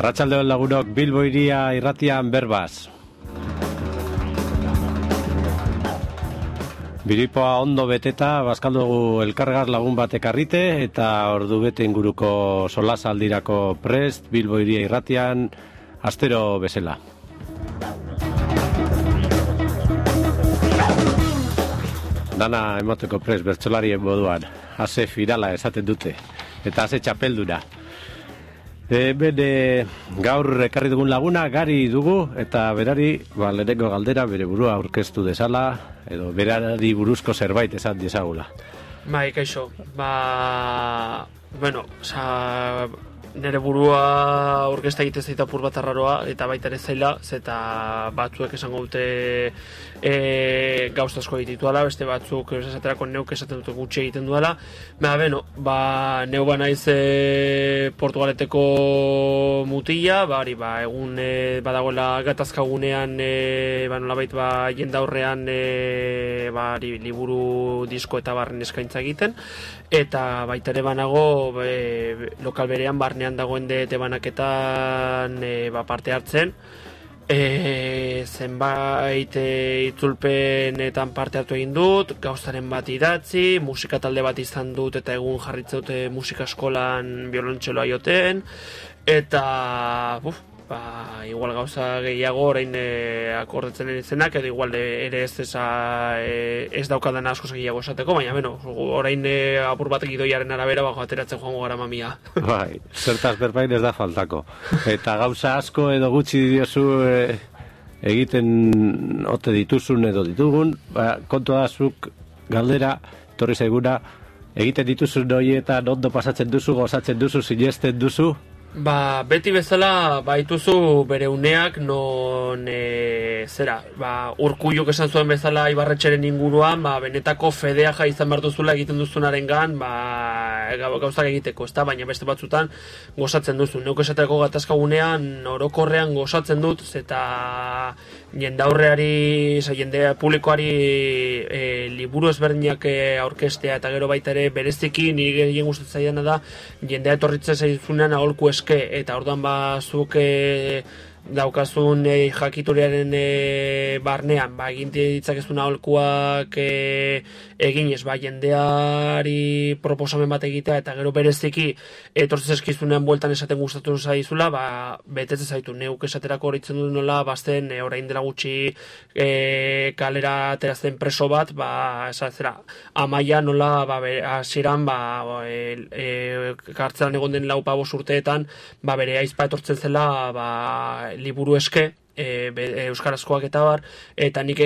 Arratsaldeon lagunok, Bilbo Hiria irratian berbaz. Biripoa ondo beteta, bazkaldugu elkargar lagun batek arrite, eta ordu bete inguruko solasaldirako prest, Bilbo Hiria irratian, astero bezala. Dana emoteko prest, bertsolarien moduan, ase firala esaten dute, eta ase txapelduna. Gaur ekarri dugun laguna, Gari dugu, eta berari, lehenengo galdera, bere burua aurkeztu dezala, edo berari buruzko zerbait esan dezagula. Kaixo, nire burua aurkezta egiten zaita apur bat arraroa, eta baita ere zaila, eta batzuek esango dute gauza asko egitituala, beste batzuk esaterako neuk esaten dute gutxi egiten duela. Neu banaiz Portugaleteko mutila, egun badagoela gatazkagunean nolabait jendaurrean liburu, disko eta barren eskaintza egiten, eta baita ere banago lokal berean barnean dagoen dete banaketan parte hartzen. Zenbait itzulpenetan parte hartu egin dut, gauzaren bat idatzi, musika talde bat izan dut eta egun jarritzen dute musika eskolan biolontxeloa joten, eta igual gauza gehiago orain akordatzen izenak, edo igual ere ez daukadan asko gehiago esateko, baina orain apur bat gidoiaren arabera ateratzen joango gara mamia. Zertaz berbain ez da faltako. Eta gauza asko edo gutxi diozu egiten ote dituzun edo ditugun, kontua da zuk galdera, torri zaiguna, egiten dituzun horietan ondo pasatzen duzu, gozatzen duzu, sinesten duzu? Beti bezala baituzu bere uneak non Urkulluk esan zuen bezala Ibarretxeren inguruan, benetako fedea izan behar duzula egiten duzunaren gan, gauzak egiteko, baina beste batzutan gozatzen duzu. Neuk esateko gatazkagunean orokorrean gozatzen dut, eta jendaurreari, jende publikoari liburu ezberdinak aurkestea, eta gero baita ere bereziki nire gehien gustatzen zaidana da, jendea etorritzen zaizunean aholku eta orduan zuk daukazun jakituriaren barnean, egin ditzakezun aholkuak eginez, jendeari proposamen bat egitea, eta gero bereziki etortzen eskizunean bueltan esaten gustatu zaizula, betetzen zaitu. Neuk esaterako horitzen dut nola, bazten orain dela gutxi kalera aterazten preso bat, Amaia nola hasieran kartzelan egon den 4-5 urteetan, bere aizpa etortzen zela liburu eske, euskarazkoak eta bar, eta nik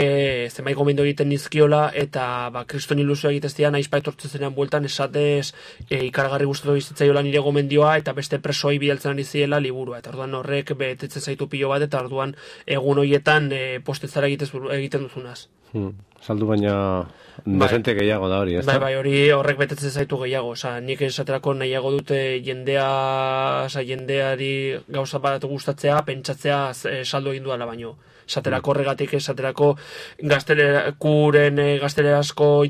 zenbait gomendio egiten nizkiola, eta kriston ilusio egiteztian aizpa etortzen zenean bueltan esatez ikaragarri gustatu bizitzaiola nire gomendioa, eta beste presoi bidaltzen ari ziela liburua, eta orduan horrek betetzen zaitu pilo bat, eta orduan egun horietan postetzara egiten duzunaz. Saldu baina desente gehiago da hori, ez da? Hori horrek betetzen zaitu gehiago. Nik esaterako nahiago dute jendeari gauza bat gustatzea, pentsatzea saldu egin duela baino. Esaterako horregatik, esaterako gaztelekuren gaztelerazko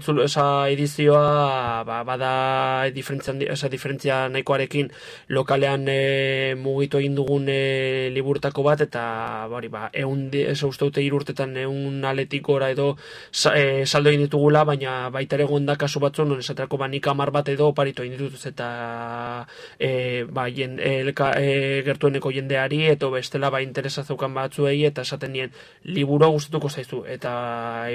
edizioa bada diferentzia nahikoarekin lokalean mugitu egin dugun liburtako bat, eta uste dute 3 urtetan 100 aletik gora edo saldo egin ditugula, baina baita ere egon da kasu batzu, non esaterako nik 10 bat edo oparitu egin dituz, eta gertueneko jendeari, eta bestela interesa zeukan batzuei, eta esaten nien liburua gustatuko zaizu, eta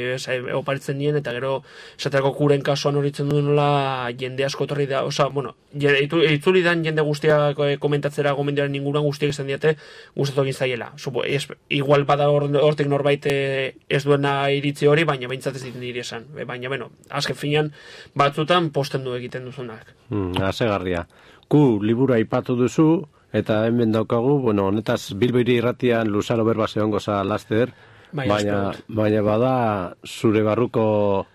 oparitzen nien, eta gero esaterako kuren kasuan horitzen du nola jende asko torri da, itzuli dan jende guztiak komentatzera gomendioaren inguruan guztiak izan diate gustatu egin zaiela. Igual bada hortik norbait ez duena iritzi hori, baina behintzat ez ditu niri esan. Baina, azken finean batzutan posten du egiten duzunak. Asegarria. Libura aipatu duzu, eta hemen daukagu, honetaz Bilbo Hiria irratian luzaro berba zehongo za laster, baina bada zure barruko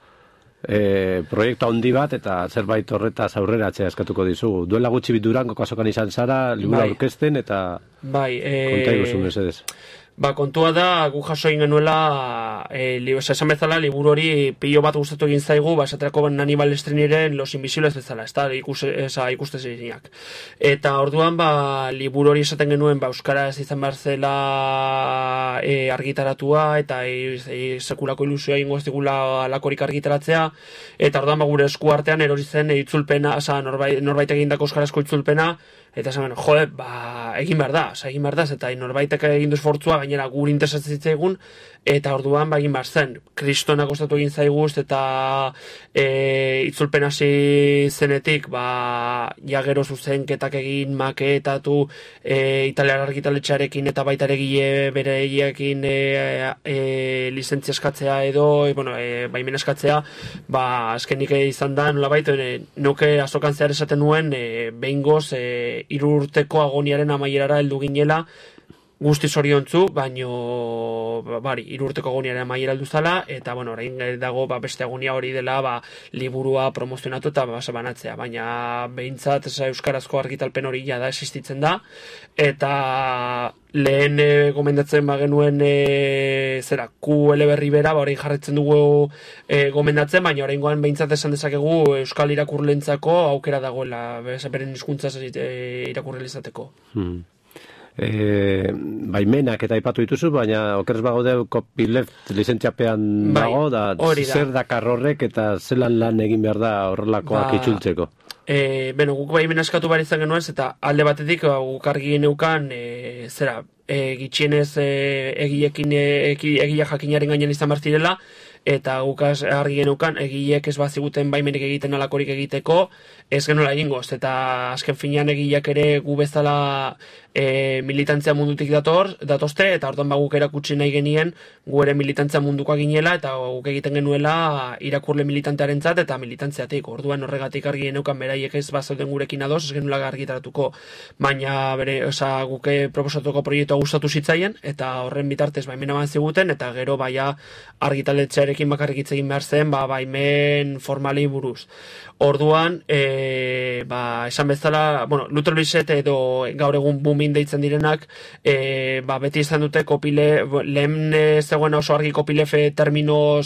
proiektu handi bat, eta zerbait horretaz aurrera atzea eskatuko dizugu. Duela gutxi Durango kasokan izan zara, libura aurkezten, eta konta iguzun mesedez. Ba, kontua da, gu jaso egin genuela, esan bezala, liburu hori pilo bat gustatu egin zaigu, ba, esaterako Hannibal Lecterren Los Invisibles bezala, ez da, ikustezinak. Eta orduan, ba, liburu hori esaten genuen, ba, euskaraz izan behar zela argitaratua, eta sekulako ilusioa ingo ez digula alakorik argitaratzea, eta orduan, ba, gure esku artean erori zen itzulpena, norbait egindako euskarazko itzulpena, eta esan, ba, egin behar da, eta norbaitek egin du esfortzua, gainera gure interesatzen zitzaigun, eta orduan, ba, egin behar zen. Kristona kostatu egin zaiguz, eta itzulpen hasi zenetik, ba, ja gero zuzenketak egin, maketatu, italiar argitaletxearekin, eta baita ere bere egiakin lizentzia eskatzea edo, baimen eskatzea, ba, azkenik izan da, nolabait, nuke azokan zehar esaten nuen, behingoz, 3 urteko agoniaren amaierara heldu ginela, guzti zoriontzu, baino, 3 urteko agoniaren amaiera heldu zala, eta, orain dago, beste agonia hori dela, liburua promozionatu eta banatzea, baina behintzat euskarazko argitalpen hori da existitzen da, eta lehen gomendatzen genuen QL berri bera, orain jarretzen dugu gomendatzen, baina oraingoan behintzat esan dezakegu euskal irakurlentzako aukera dagoela, beren hizkuntzaz irakurri izateko. Baimenak eta aipatu dituzu, baina okerez bagaude copyleft lizentziapean dago, da zer dakar horrek eta zelan lan egin behar da horrelakoak itzultzeko. Guk baimena eskatu behar izan genuen, eta alde batetik guk argi geneukan gitxienez egia jakinaren gainean izan behar zirela, eta guk argi geneukan egilek ez baziguten baimenik egiten alakorik egiteko, ez genuela egingoz, eta azken finean egileak ere gu bezala militantzia mundutik datozte, eta orduan guk erakutsi nahi genien gu ere militantzia mundukoa ginela, eta guk egiten genuela irakurle militantearentzat eta militantziatik. Orduan horregatik argi geneukan beraiek ez bazauden gurekin ados, ez genuela argitaratuko, baina guk proposatuko proiektua gustatu zitzaien, eta horren bitartez baimena eman ziguten, eta gero baia argitaletxearekin bakarrik hitz egin behar zen, baimen formalei buruz. Orduan, esan bezala, Luther Blissett edo gaur egun Boomin deitzen direnak, beti izan dute lehen zegoen oso argi copyleft termino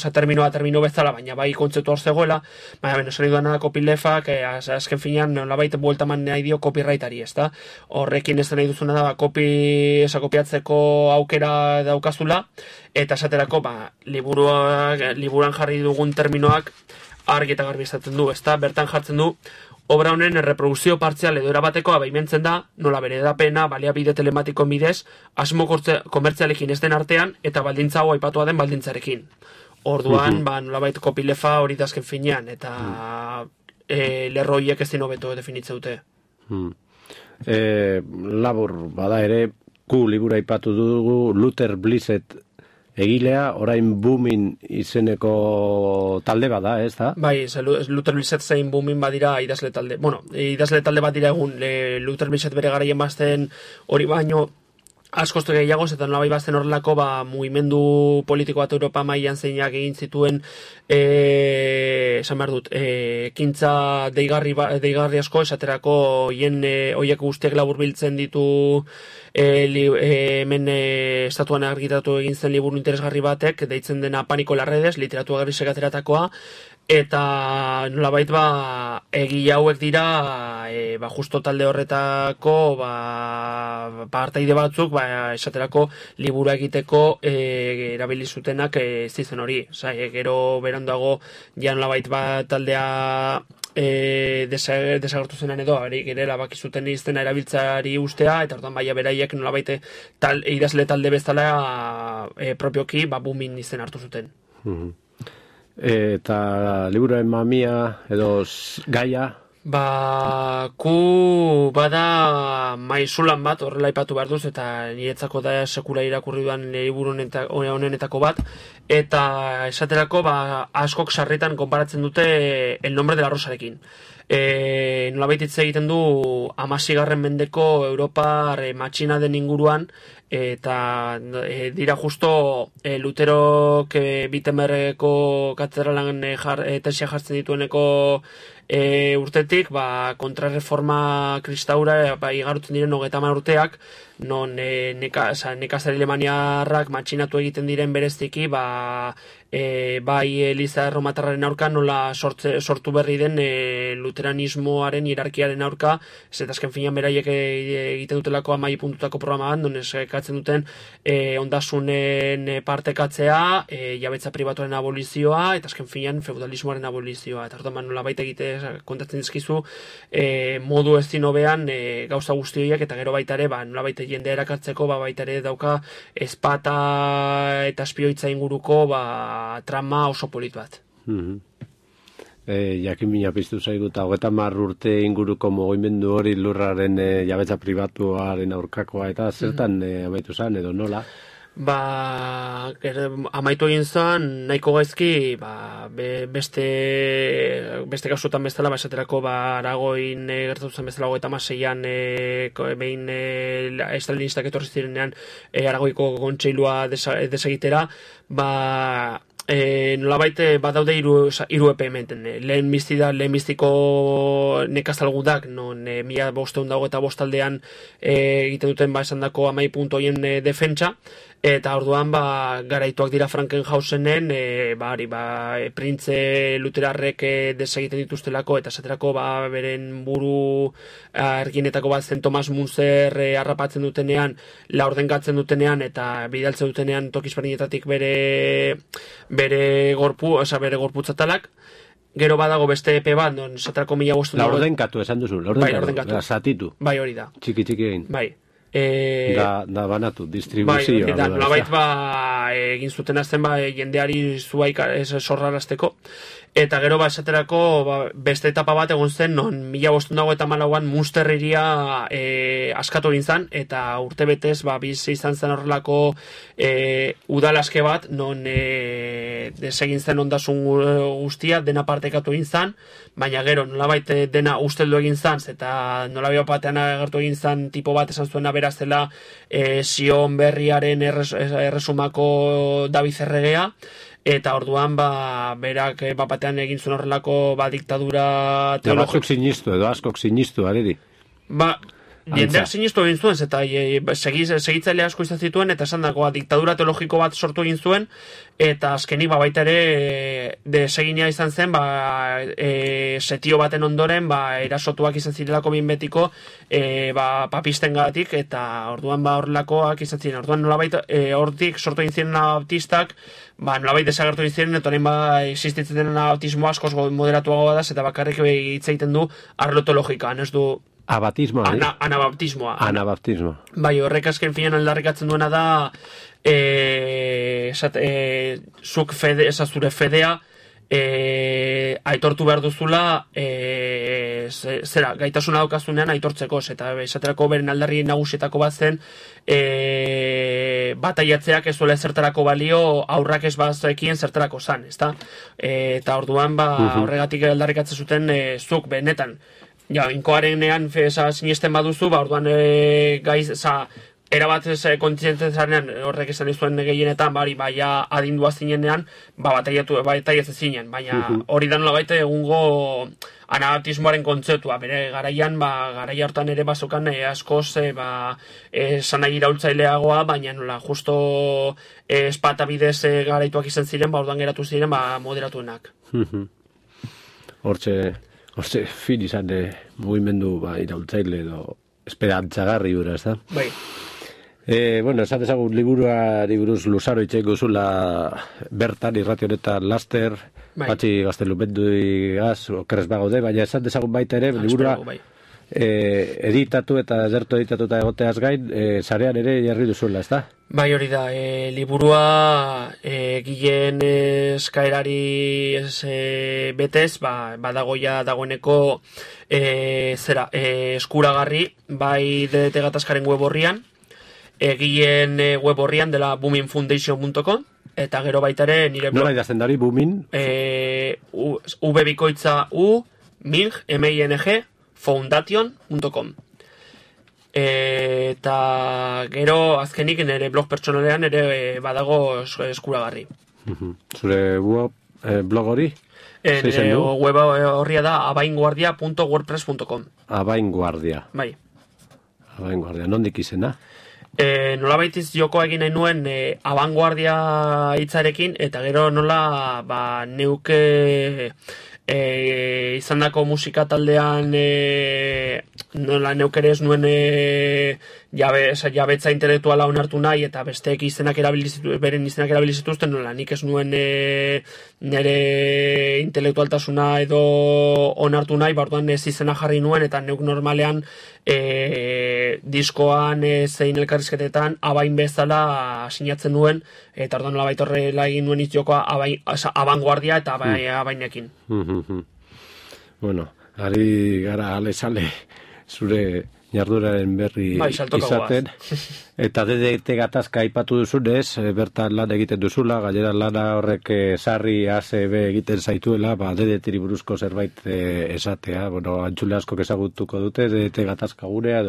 bezala, baina bai kontzeptu hor zegoela, baina esan duena da copyleftak, azken finean nolabait bueltaman nahi dio copyrightari, ezta? Horrekin ez nahi duzuna da, kopiatzeko aukera daukazula, eta esaterako, liburuan jarri dugun terminoak argi eta garbi izaten du, ezta? Bertan jartzen du, obra honen erreprodukzio partzial edo erabatekoa baimentzen da, nola bere edapena, baliabide telematikoen bidez, asmo komertzialekin ez den artean, eta baldintza hau aipatua den baldintzarekin. Orduan, nolabait copylefta hori da azken finean, eta lerro horiek ez din hobeto definitze dute. Labur, bada ere, libura aipatu dugu, Luther Blissett egilea, orain Boomin izeneko talde bada, ez da? Bai, Luther Blissett zein Boomin badira idazle talde. Idazle talde bat dira egun, Luther Blissett bere garaien bazten hori baino askostu gehiagoz, eta nolabait bazten horrelako mugimendu politiko bat Europa mailan zeinak egin zituen esan behar dut, ekintza deigarri asko, esaterako horiek guztiak laburbiltzen ditu hemen estatuan argitaratu egin zen liburu interesgarri batek, deitzen dena Paniko las redes, literatura grisek ateratakoa, eta nolabait egile hauek dira justo talde horretako partaide batzuk esaterako liburu egiteko erabili zutenak zizen hori. Gero beranduago ja nolabait taldea desagertu zenan edo, gerela bakizuten iztena erabiltzari ustea, eta orduan beraiek nolabait idazle talde bezala propioki Boomin izen hartu zuten. Eta liburuaren mamia edo gaia? Bada maizulan bat, horrela aipatu behar duz, eta niretzako da sekula irakurri duan liburu honenetako bat, eta esaterako askok sarritan konparatzen dute El nombre de la rosarekin. Nolabait hitz egiten du 16. mendeko Europar matxina den inguruan, eta dira justo Luterok Wittenbergeko katedralan tesia jartzen ditueneko urtetik, kontrarreforma kristaura igarutzen diren 30 urteak, non nekazari alemaniarrak matxinatu egiten diren bereziki, bai Eliza Erromatarraren aurka nola sortu berri den luteranismoaren hierarkiaren aurka, ez eta azken finean beraiek egiten dutelako 10 puntutako programan, non eskatzen duten ondasunen partekatzea, jabetza pribatuaren abolizioa, eta azken finean feudalismoaren abolizioa. Eta orduan nola baita kontatzen dizkizu modu ezin hobean gauza guzti horiek, eta gero baita ere, nola baita jendea erakartzeko, baita ere dauka ezpata eta espioitza inguruko trama oso polit bat. Jakin mina piztu zaigu, eta 30 urte inguruko mugimendu hori lurraren jabetza pribatuaren aurkakoa, eta zertan amaitu zen, edo nola? Amaitu egin zen, nahiko gaizki, beste kasutan bezala, esaterako Aragoin gertatu zen bezala 36an behin estalinistak etorri zirenean Aragoiko kontseilua desegitera, nolabait badaude hiru epe hemen. Lehenbiztiko nekazalgudak, non 1525 aldean egiten duten esandako 10 puntu horien defentsa, eta orduan garaituak dira Frankenhausenen printze luterarrek desegiten dituztelako, eta esaterako beren buru erginetako bat zen Thomas Munzer harrapatzen dutenean, laurdengatzen dutenean, eta bidaltzen dutenean tokizberdinetatik bere gorputzatalak. Gero badago beste epe bat, non esaterako 1500... Laurdenkatu esan duzu, laurdenkatu, zatitu. Bai, hori da. Txiki egin. Bai. Da banatu, distribuzioa. Bai, nolabait egin zuten azten jendeari zuaik sorrarazteko. Eta gero esaterako beste etapa bat egon zen, non 1554an Munster hiria askatu egin zen, eta urte betez bizi izan zen horrelako udalaske bat, non desegin zen ondasun guztia, dena partekatu egin zen, baina gero nolabait dena usteldu egin zen, eta nolabait batean agertu egin zen tipo bat esan zuena beraz dela Sion berriaren erresumako David Erregea, eta orduan berak batean egin zuen horrelako diktadura teologiko. Batzuk sinistu edo askok sinistu areri. Jendeak sinistu egin zuen, eta segitzaile asko izan zituen, eta esan dagoa diktadura teologiko bat sortu egin zuen, eta azkenik baita ere desegina izan zen, setio baten ondoren, erasotuak izan zirelako behin betiko, papistengatik, eta orduan horrelakoak izan ziren. Orduan nolabait hortik sortu egin ziren anabaptistak, nolabait desagertu egin ziren, eta horrein existitzen den anabaptismoa askoz moderatuagoa da, eta bakarrik hitz egiten du arlo teologikan, ez du abatismoa, anabaptismoa. Anabaptismoa. Bai, horrek azken finean aldarrikatzen duena da zuk zure fedea aitortu behar duzula gaitasuna daukazunean aitortzeko, eta esaterako beren aldarri nagusietako bat zen bataiatzeak ez duela zertarako balio aurrak ez bazekien zertarako zan, ezta? Eta orduan horregatik aldarrikatzen zuten zuk benetan inkoarenean sinesten baduzu, orduan erabat kontzientezarenean horrek esan izuen gehienetan, adindua zinenean, bataiatzen zinen, baina hori da nolabait egungo anabaptismoaren kontzeptua, bere garaian, garaia hortan ere bazokan askoz sanai iraultzaileagoa, baina nola justo espata bidez garaituak izan ziren, orduan geratu ziren moderatuenak. Hortze fin izan mugimendu iraultzaile edo esperantzagarri gura, ez da? Bai. Esan dezagun liburuari buruz luzaro itxeiko zula bertan irrati honetan laster, patxi gaztelupenduigaz, okerrez bagaude, baina esan dezagun baita ere, liburua editatu eta edertu editatuta egoteaz gain, sarean ere jarri duzuela, ez da? Bai, hori da, liburua gilen eskaerari betez, badagoia dagoeneko eskuragarri, bai DDT gatazkaren web horrian, gilen web horrian dela boomingfoundation.com, eta gero baita ere nire blog. Nola idazten dari, booming? V-bikoitza U, Ming, M-I-N-G, foundation.com. Eta gero azkenik nire blog pertsonalean ere badago eskuragarri. Zure blog hori? Nire web horria da abainguardia.wordpress.com. Abainguardia. Bai. Abainguardia, nondik izena? Nola baitiz jokoa egin nahi nuen abanguardia hitzarekin, eta gero nola neuke izandako musika taldean nola neukere ez nuen jabetza intelektuala onartu nahi, eta besteek beren izenak erabilizituzten, nola nik ez nuen nire intelektualtasuna edo onartu nahi, orduan ez izena jarri nuen, eta neuk normalean diskoan zein elkarrizketetan abain bezala sinatzen nuen, eta orduan nola baitorrela egin nuen itxokoa abanguardia eta abainekin. Bueno, ari gara alezale zure jarduraren berri izaten, eta DDT gatazka aipatu duzunez, bertan lan egiten duzula, gainera lana horrek sarri ACB egiten zaituela, DDT-ri buruzko zerbait esatea, antzule asko ezagutuko dute, DDT gatazka gurea,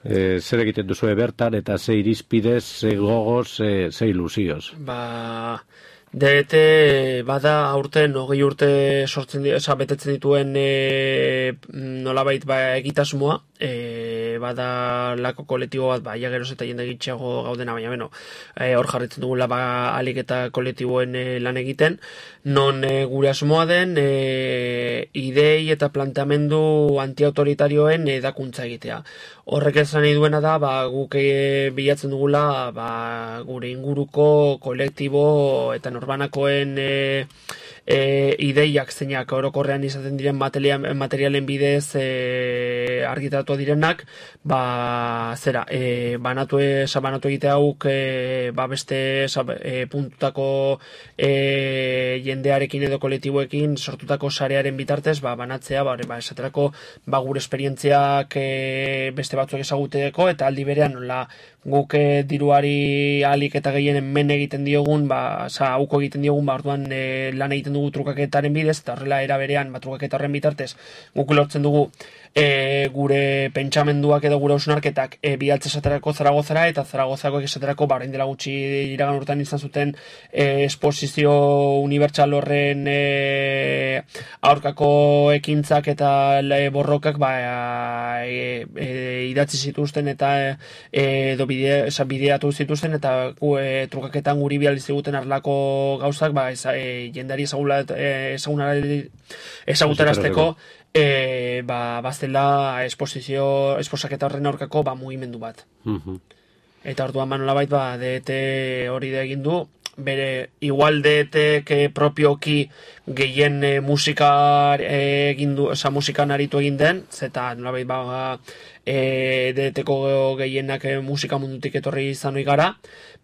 zer egiten duzue bertan, eta ze irizpidez, ze gogoz, ze ilusioz. DDT bada aurten 20 urte betetzen dituen nolabait egitasmoa, bada lako kolektibo bat, ja geroz eta jende gitxeago gaudena, baina hor jarritzen dugula alik eta kolektiboen lan egiten, non gure asmoa den idei eta planteamendu antiautoritarioen edakuntza egitea. Horrek esan nahi duena da, guk bilatzen dugula gure inguruko kolektibo eta norbanakoen ideiak zeinak orokorrean izaten diren materialen bidez argitaratu direnak, banatu egitea hauk beste puntutako jendearekin edo kolektiboekin sortutako sarearen bitartez, banatzea, esaterako gure esperientziak beste batzuk ezaguteko, eta aldi berean nola guk diruari alik eta gehienen men egiten diogun, hauko egiten diogun, orduan lan egiten dugu trukaketaren bidez, eta horrela era berean trukaketa horren bitartez guk lortzen dugu gure pentsamenduak edo gure hausnarketak bidaltze esaterako Zaragozara, eta Zaragozako esaterako orain dela gutxi iragan urtean izan zuten esposizio unibertsal horren aurkako ekintzak eta borrokak idatzi zituzten eta edo bideatu zituzten, eta trukaketan guri bidali ziguten arlako gauzak jendari ezagutarazteko bazela esposaketa horren aurkako mugimendu bat. Eta orduan nolabait DDT hori da egin du, bere igual DDT propioki gehien musikan aritu egin den, zeta nolabait DDT-ko gehienak musika mundutik etorri izan hori gara,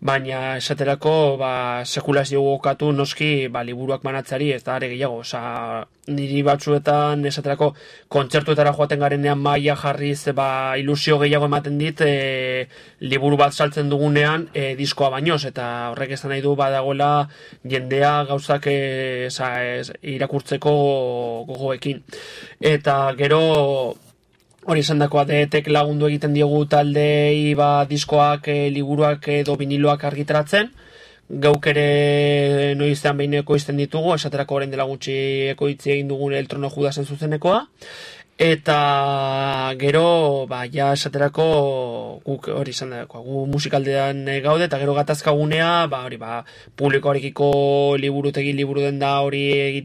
baina esaterako sekulazio gokatu noski liburuak manatzari ez da are gehiago, niri batzuetan esaterako kontzertuetara joaten garenean maila jarriz ilusio gehiago ematen dit liburu bat saltzen dugunean diskoa bainoz, eta horrek esan nahi du badagoela jendea gauzak irakurtzeko gogoekin. Eta gero hori esan dakoa DDT lagundu egiten diogu taldei diskoak, liburuak edo viniloak argitaratzen, gauk ere noizean behin ekoizten ditugu, esaterako orain dela gutxi ekoitzi egin dugun El Trono Judasen zuzenekoa, eta gero ja esaterako guk hori izan dagoa, gu musikaldean gaude, eta gero gatazkagunea publikoarekiko liburu den da hori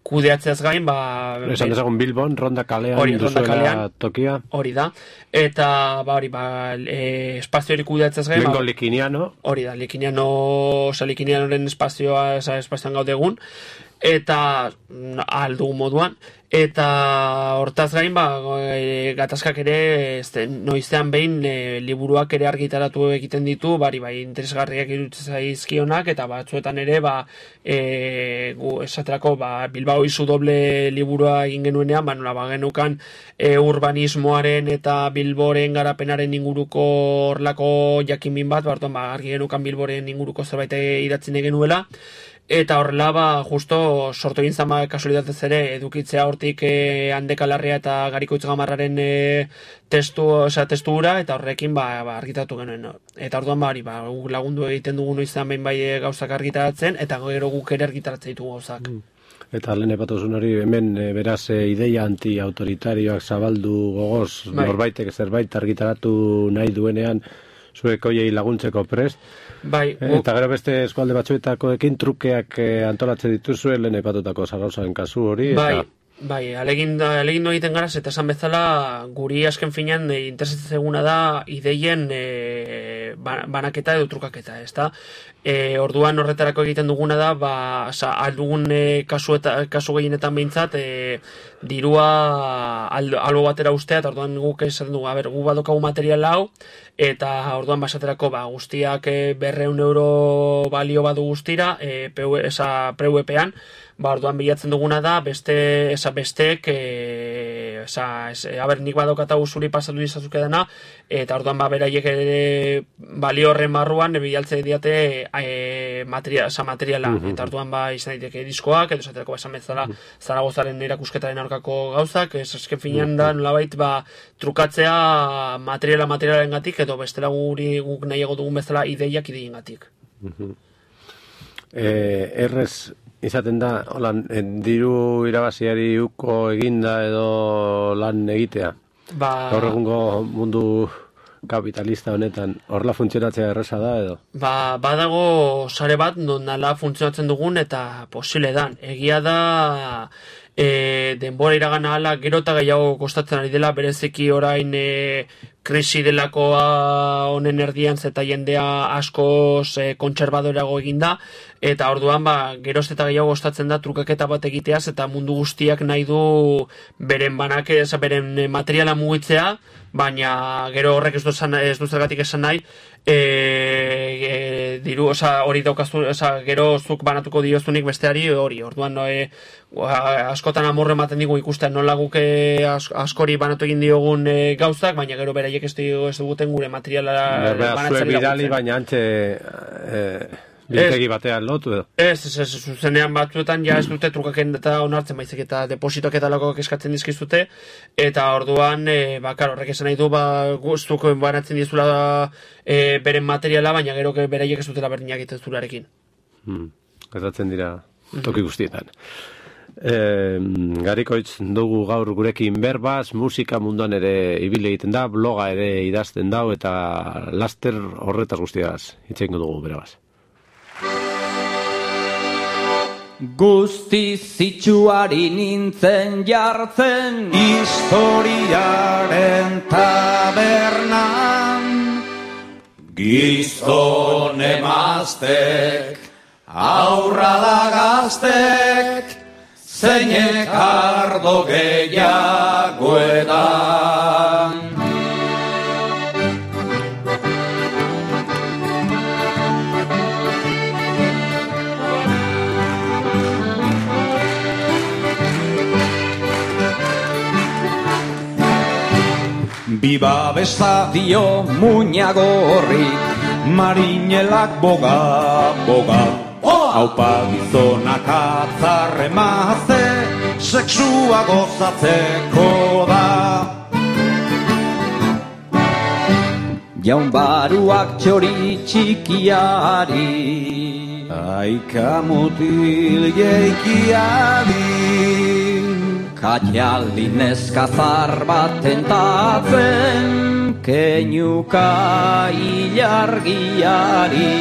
kudeatzeaz gain, esan dezagun Bilbon, Ronda Kalean duzuela tokia. Hori da, eta espazio hori kudeatzeaz gain, Lehenko Likiniano. Hori da, Likinianoren espazioan gaude egun, eta aldugu moduan, eta hortaz gain gatazkak ere noizean behin liburuak ere argitaratu egiten ditu, interesgarriak iruditzen zaizkionak, eta batzuetan ere esaterako Bilbao izu doble liburua egin genuenean, genukan urbanismoaren eta Bilboren garapenaren inguruko horlako jakinmin bat, argi genukan Bilboren inguruko zerbait idatzen genuela, eta horrela justo sortu egin zama kasualitatez ere edukitzea hortik Handekalarria eta Garikoitz Gamarraren testura, eta horrekin argitatu genuen. Eta orduan lagundu egiten dugu noizean behin gauzak argitaratzen, eta gero guk ere argitaratzen ditugu gauzak. Eta lehen epatuzun hori, hemen beraz ideia anti-autoritarioak zabaldu gogoz, norbaitek zerbait argitaratu nahi duenean, zuek hoiei laguntzeko prest. Eta gero beste eskualde batzuetakoekin trukeak antolatzen dituzue lehen epatutako zagauzaren kasu hori. Alegin egiten gara, eta esan bezala guri asken finean interesatzen zeguna da ideien banaketa edo trukaketa, ezta? Orduan horretarako egiten duguna da, aldugun kasu gehienetan behintzat, dirua albo batera ustea, eta orduan guk esaten dugu, gu badokagu material hau, eta orduan basaterako guztiak 200 euro balio badu guztira, PVP-an, orduan bilatzen duguna da, besteek, nik badokata zuri pasatu dizazuke dena, eta orduan beraiek balio horren barruan bilaltze diate materiala, eta orduan izan daiteke diskoak, edo esaterako esan bezala Zaragozaren erakusketaren aurkako gauzak, esken finean da nolabait trukatzea materialaren gatik, edo bestela guk nahiago dugun bezala ideiak ideien gatik. Errez izaten da, diru irabaziari uko eginda edo lan egitea. Gaur egungo mundu kapitalista honetan, horla funtzionatzea erresa da edo? Badago sare bat, non nala funtzionatzen dugun eta posible dan. Egia da, denbora iragana ala gero eta gehiago kostatzen ari dela, bereziki orain krisi delakoa honen erdian zeta jendea askoz kontserbadorago eginda, eta orduan geroz eta gehiago kostatzen da trukaketa bat egiteaz, eta mundu guztiak nahi du beren beren materiala mugitzea, baina gero horrek ez du zergatik esan nahi, diru, hori daukazu, gero zuk banatuko diozunik besteari hori, orduan askotan amorre ematen digu ikusten nola guke askori banatu egin diogun gauzak, baina gero beraiek ez duguten gure materiala banatzen bidali, baina antxe biltegi batean lotu edo? Ez, zuzenean batzuetan ez dute trukaken eta onartzen baizik eta depositoak eta lakoak eskatzen dizkizute, eta orduan, horrek esan nahi du, guztuk banatzen dizula beren materiala, baina gero beraiek ez dutela berdinak egiten zularekin. Gertatzen dira toki guztietan. Garikoitz dugu gaur gurekin berbaz, musika munduan ere ibili egiten da, bloga ere idazten dau, eta laster horretaz guztiaz hitzengo dugu berbaz. Guzti zitsuari nintzen jartzen historiaren tabernan, gizon emaztek, aurra da gaztek, zeinek ardo gehiago edan. Biba bestadio muñagorrik, marinelak boga, haupa gizonak atzarre maze, seksua gozatzeko da. Jaun baruak txori txikiari, aika mutil jeikiari, Katialdi neskazar bat tentatzen, keinuka ilargiari.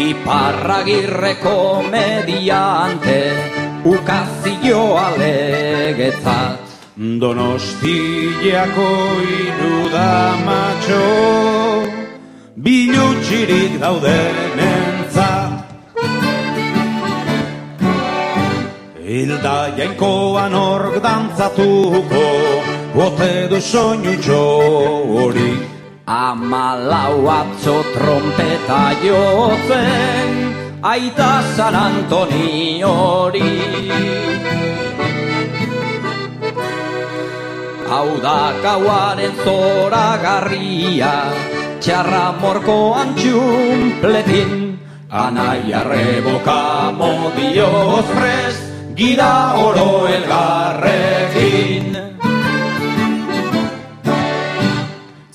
Iparragirreko mediante, ukazio alegetzat. Donostiako iruda matxo, bilutxirik daudenentzat. Hilda jainkoan ork dantzatuko, bote du soinutxo hori. 14 atzo trompeta jotzen, aita San Antoni hori. Hau da gauaren zoragarria, txarra morkoan txumpletin, anaia reboka modioz prest, gira oro elgarrekin.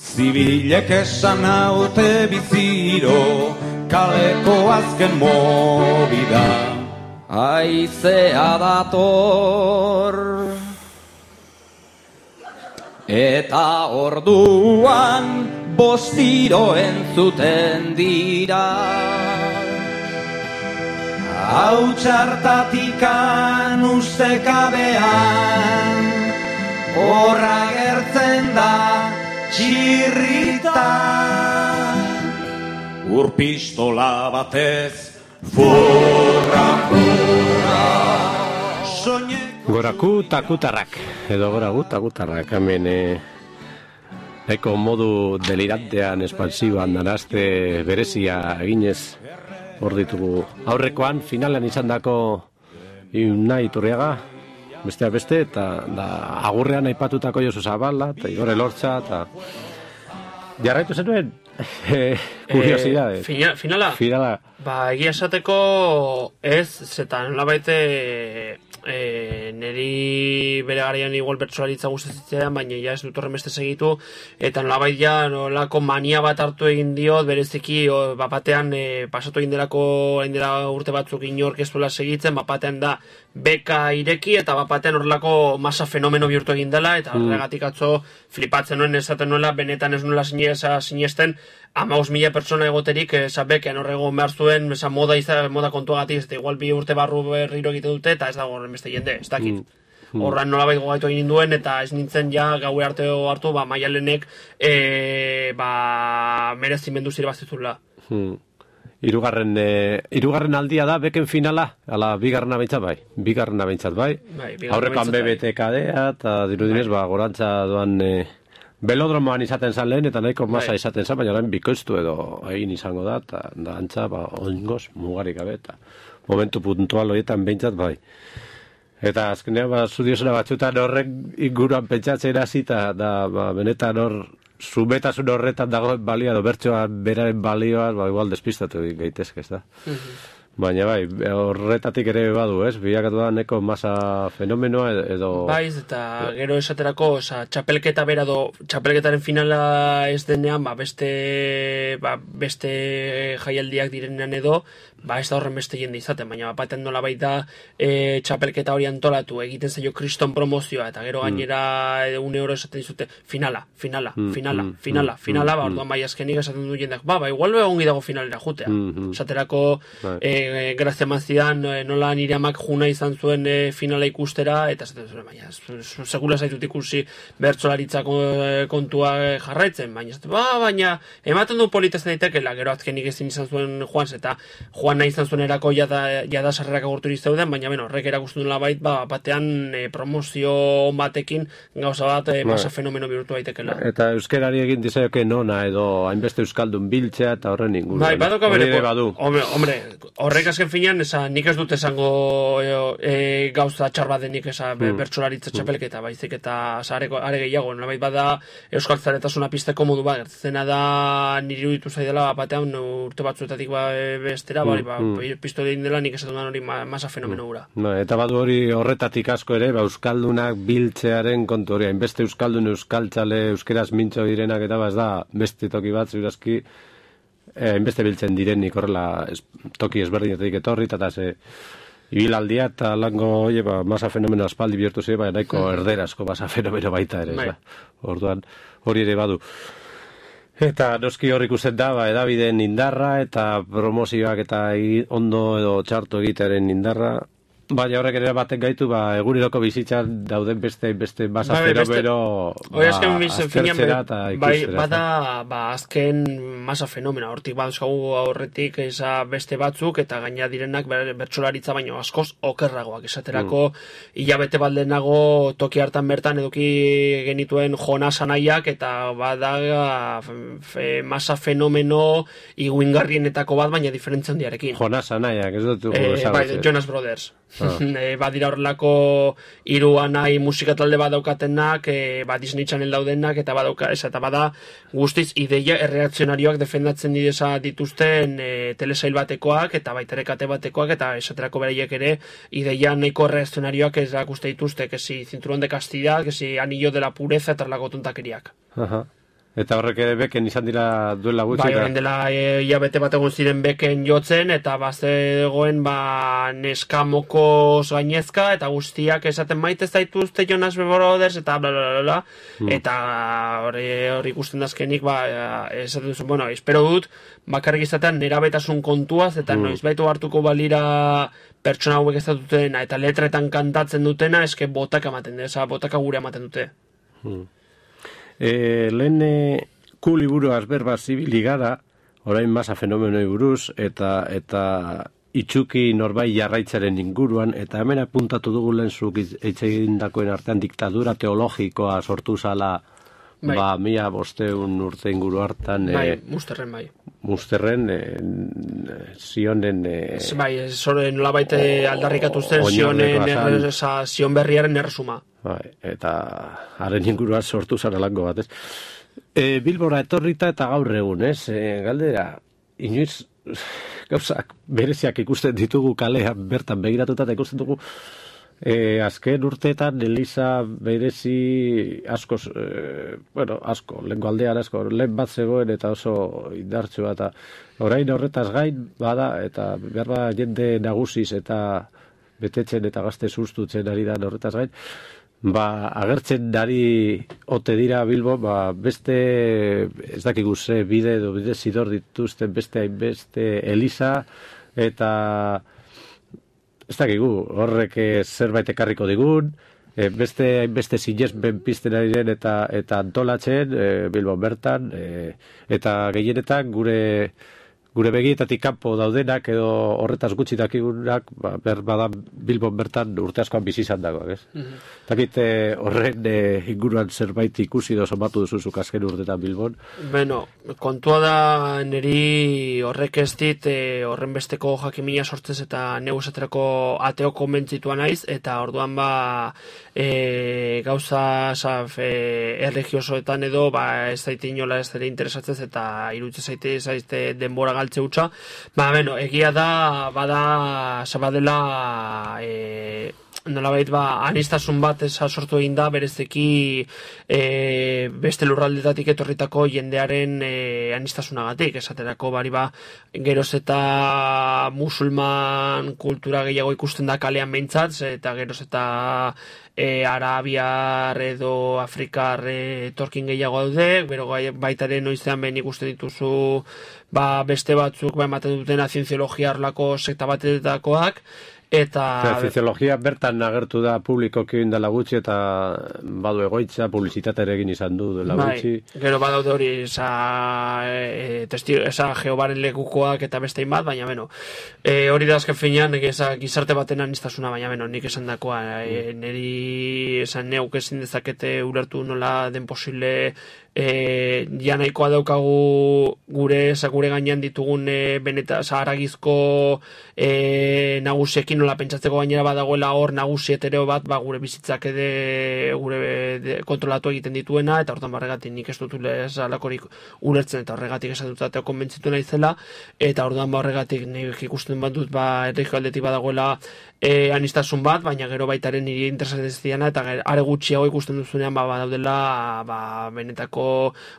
Zibilek esan haute biziro, kaleko azken mobida. aizea dator. Eta orduan bostiro entzuten dira. Hau txartatikan ustekabean, horra gertzen da txirrita. Urpistola batez, furra, furra. Goraku takutarrak, edo goraku takutarrak, hemen eko modu delirantean, espansiboan, danazte berezia eginez hor ditugu. Aurrekoan, finalan izandako Unai Iturriaga, besteak beste, eta agurrean aipatutako Josu Zabala, eta Igor Elortza, eta jarraitu zenuen, kuriosidade. Finala? Ba, egia esateko ez, zetan nolabait niri bere garaian igual bertsolaritza gustatzen, baina ja ez dut horren beste segitu, eta nolabait ja nolako mania bat hartu egin diot, bereziki bapatean pasatu egin delako urte batzuk inork ez duela segitzen, bapatean da beka ireki, eta bapatean horrelako masa fenomeno bihurtu egin dela, eta horregatik atzo flipatzen nuen esaten nuela, benetan ez nuela sinesten, 15.000 pertsona egoterik, bekean horrego behar zuen, moda kontuagatik, eta igual bi urte barru berriro egite dute, eta ez dago horren beste jende, ez dakit. Horran nolabait gogaitu egin duen, eta ez nintzen ja gaue arte hartu, Maialenek merezimendu zirebazizula. Hirugarren aldia da beken finala, ala bigarrena behintzat bai. Aurrekoan BBTKDea, eta dirudinez, gorantza doan belodromoan izaten zan lehen, eta nahiko masa izaten zan, baina orain bikoiztu edo egin izango da, eta da antza, oingoz, mugarik gabe, eta momentu puntual horietan behintzat bai. Eta azkenean, zudiosena batzutan horrek inguruan pentsatzen hasi, eta benetan hor, zumetasun horretan dagoen balioa, bertsoa beraren balioa, igual despistatu gaitezke, ez da. Baina bai, horretatik ere badu, ez? Bilakatu da neko masa fenomenoa edo... Baiz, eta gero esaterako, txapelketa bera txapelketaren finala ez denean, beste jaialdiak direnean edo, ez da horren beste jende izaten, baina baten nola baita txapelketa hori antolatu, egiten zaio kriston promozioa, eta gero gainera €1 esaten dizute, finala, orduan bai azkenik esaten du jendeak, igual ongi dago finalera jutea. Esaterako, grazia mazidan, nola nire amak juna izan zuen finala ikustera, eta esaten zuen, baina, segula zaitut ikusi bertsolaritza kontua jarraitzen, baina, ematen du politazten daitekela, gero azkenik ezin izan zuen Juans, eta Juan nahi izan zuen erako jada sarrerak agurturi zeuden, baina horrek erakusten dula batean promozio batekin gauza bat masa fenomeno bihurtu daitekela. Eta euskerari egin dizaioke nona edo hainbeste euskaldun biltzea eta horren inguruan. Bai, badoka bere, hombre, horrek azken finean, nik ez dut esango gauza txar bat denik bertsolaritza txapelketa, baizik eta are gehiago, nolabait bada euskaltzaretasuna pizteko modu bat, gertzena da niri iruditu zaidala batean urte batzuetatik bestera, piztu egin dela nik esaten hori masa fenomeno gura. Eta badu hori horretatik asko ere, euskaldunak biltzearen kontu hori, hainbeste euskaldun euskaltzale, euskeraz mintzo direnak eta ez da beste toki bat, ziurazki, hainbeste biltzen direnik horrela toki ezberdinetatik etorri, eta ibilaldia eta lango masa fenomeno aspaldi bihurtu zi, nahiko erderazko masa fenomeno baita ere. Orduan, hori ere badu. Eta noski hor ikusten da, edabideen indarra eta promozioak eta ondo edo txarto egitearen indarra. Baina horrek ere baten gaitu, eguneroko bizitzan dauden beste masa fenomeno aztertzera eta ikustera. Bada azken masa fenomena, hortik baduzkagu aurretik beste batzuk eta gaina direnak bertsolaritza baino askoz okerragoak. Esaterako hilabete baldenago toki hartan bertan eduki genituen Jonas Anaiak eta bada masa fenomeno iguingarrienetako bat baina diferentzia handiarekin. Jonas Anaiak, ez dut ezagutzen. Jonas Brothers. Badira horrelako hiru anai musika talde badaukatenak, Disney Channel daudenak, eta bada guztiz ideia erreakzionarioak defendatzen dituzten telesail batekoak, eta baitere kate batekoak, eta esaterako beraiek ere ideia nahiko erreakzionarioak erakuste dituzte, kesi cinturón de castidad, kesi anillo de la pureza, eta erlako tontakeriak. Eta horrek ere beken izan dira duela gutxi. Bai, orain dela hilabete bat egon ziren beken jotzen, eta bazegoen neska mokoz gainezka, eta guztiak esaten maite zaituzte Jonas Brothers, eta blablabla, eta hori ikusten dazkenik, esaten duzu, bueno, espero dut, bakarrik izatean nerabetasun kontuaz, eta noiz baitu hartuko balira pertsona hauek ez dutena, eta letretan kantatzen dutena, eske botaka ematen dute, botaka gure ematen dute. Lehen ku liburuaz berba zibili gara, orain masa fenomenoi buruz, eta itxuki norbait jarraitzaren inguruan, eta hemen apuntatu dugu lehen zuk eitzegindakoen artean diktadura teologikoa sortu zala, mila 500 urte inguru hartan. Musterren bai. Musterren, Zionen... Zoren nolabait aldarrikatu zen Zion berriaren erresuma. Eta haren inguruan sortu zarelako bat, ez? Bilbora etorrita eta gaur egun, ez? Galdera, inoiz gauzak bereziak ikusten ditugu kalean bertan begiratuta eta ikusten dugu azken urteetan Eliza berezi asko, lehenko aldean asko, lehen bat zegoen eta oso indartsua eta orain horretaz gain bada eta behar jende nagusiz eta betetzen eta gazte sustutzen ari da horretaz gain, agertzen dari ote dira Bilbo, beste ez dakigu ze bide edo bide zidor dituzten beste Eliza eta ez dakigu, horrek zerbait ekarriko digun, beste sinesmen pizten ari den eta antolatzen Bilbo bertan, eta gehienetan gure begietatik kanpo daudenak edo horretaz gutxi dakigunak, bada Bilbon bertan urte askoan bizi izan dagoak, ez? Dakit horren inguruan zerbait ikusi edo somatu duzuzuk azken urtetan Bilbon? Beno, kontua da niri horrek ez dit horren besteko jakimina sortzez eta neu esaterako ateo konbentzitua naiz, eta orduan gauza erregiosoetan edo ez zaite inola ez ere interesatzez eta irutze zaite denbora galtze utza. Egia da, zabadela nolabait anistasun bat sortu egin da berezeki beste lurraldetatik etorritako jendearen anistasunagatik, esaterako geroz eta musulman kultura gehiago ikusten da kalean behintzat, eta geroz eta arabiar edo afrikar etorkin gehiago daude, bero baitaren noizean behin ikusten dituzu beste batzuk ematen dutena zientziologia arlako sekta batetakoak, eta... Zientziologia bertan agertu da publikoki indela gutxi eta badu egoitza, publizitate ere egin izan du dela gutxi. Gero badaude hori Jehovaren lekukoak eta bestein bat, baina hori da azken finean gizarte baten anistasuna, baina nik esan dakoa, niri esan neuk ezin dezakete ulertu nola den posible ja nahikoa daukagu gure gainean ditugun haragizko nagusiekin nola pentsatzeko gainera badagoela hor nagusi etereo bat gure bizitzak gure kontrolatu egiten dituena, eta hortan barregatik nik ez dut alakorik ulertzen eta horregatik esan dut ateo konbentzitu naizela, eta orduan horregatik nik ikusten bat dut erregio aldetik badagoela anistasun bat, baina gero baitaren niri interesatzen ez diana, eta are gutxiago ikusten duzunean daudela benetako